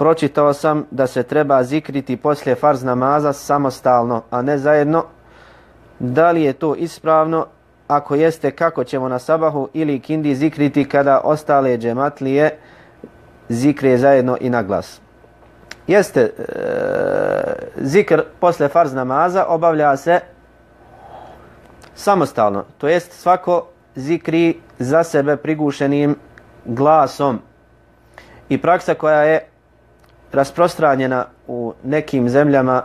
pročitao sam da se treba zikriti poslije farz namaza samostalno, a ne zajedno. Da li je to ispravno? Ako jeste, kako ćemo na sabahu ili kindi zikriti kada ostale džematlije zikre zajedno i na glas? Jeste, zikr posle farz namaza obavlja se samostalno, to jest svako zikri za sebe prigušenim glasom. I praksa koja je rasprostranjena u nekim zemljama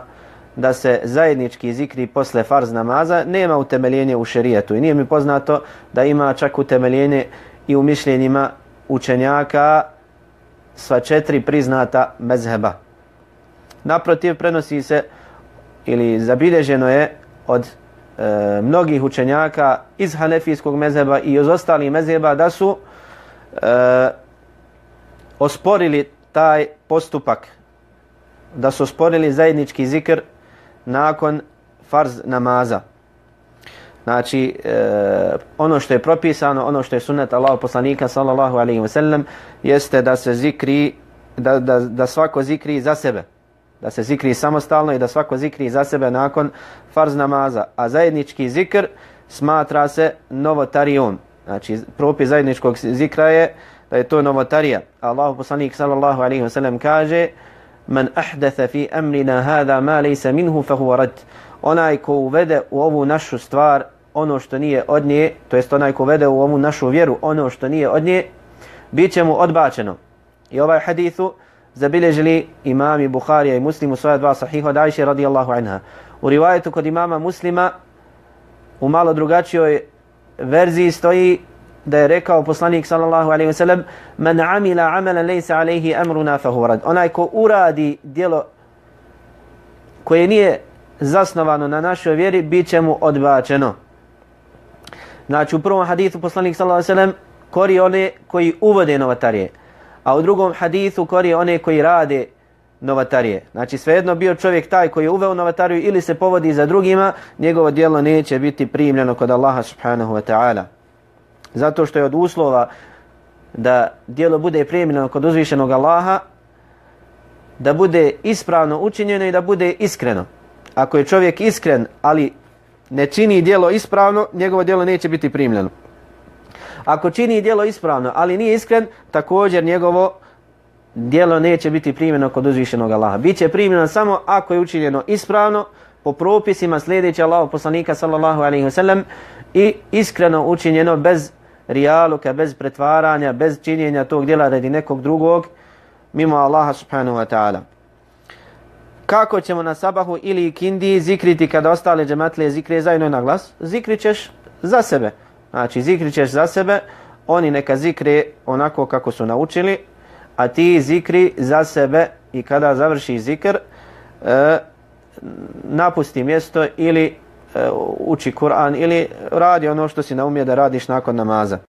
da se zajednički zikri posle farz namaza nema utemeljenje u šerijetu i nije mi poznato da ima čak utemeljenje i u mišljenjima učenjaka sva 4 priznata mezheba. Naprotiv, prenosi se ili zabilježeno je od mnogih učenjaka iz hanefijskog mezheba i iz ostalih mezheba da su osporili taj postupak, da su osporili zajednički zikr nakon farz namaza. Znači, ono što je propisano, ono što je sunnet Allahov poslanika sallallahu alejhi ve sellem jeste da se zikri, da svako zikri za sebe. Da se zikri samostalno i da svako zikri za sebe nakon farz namaza. A zajednički zikr smatra se novotarijom. Znači, propis zajedničkog zikra je da je to novotarija. Allahov poslanik sallallahu alejhi ve sellem kaže: "Man ahdatha fi amrina hada ma laysa minhu fa huwa rad." Onaj ko uvede u ovu našu stvar ono što nije od nje, to jest onaj ko uvede u ovu našu vjeru ono što nije od nje, bit će mu odbačeno. I ovaj hadithu zabilježili imami Buharija i Muslim u svoja 2 sahiha od Ajše radijallahu anha. U rivajetu kod imama Muslima u malo drugačijoj verziji stoji da je rekao poslanik sallallahu alejhi ve sellem: "Man amila amalan laysa alayhi amruna fa huwa rad." Onaj ko uradi djelo koje nije zasnovano na našoj vjeri, bit će mu odbačeno. Znači, u prvom hadithu poslanik sallallahu alejhi ve sellem kori one koji uvode novotarije, a u drugom hadithu kori one koji rade novotarije. Znači, svejedno bio čovjek taj koji je uveo novotariju ili se povodi za drugima, njegovo djelo neće biti primljeno kod Allaha subhanahu wa ta'ala. Zato što je od uslova da djelo bude primljeno kod uzvišenog Allaha, da bude ispravno učinjeno i da bude iskreno. Ako je čovjek iskren, ali ne čini djelo ispravno, njegovo djelo neće biti primljeno. Ako čini djelo ispravno, ali nije iskren, također njegovo djelo neće biti primljeno kod uzvišenog Allaha. Biće primljeno samo ako je učinjeno ispravno, po propisima sljedeći Allahov poslanika sallallahu alejhi ve sellem i iskreno učinjeno bez rijaluka, bez pretvaranja, bez činjenja tog djela radi nekog drugog mimo Allaha subhanahu wa ta'ala. Kako ćemo na sabahu ili kindi zikriti kada ostale džematlije zikre zajedno na glas? Zikrit ćeš za sebe. Znači, zikrit ćeš za sebe, oni neka zikre onako kako su naučili, a ti zikri za sebe i kada završi zikr, napusti mjesto ili uči Kur'an ili radi ono što si naumio da radiš nakon namaza.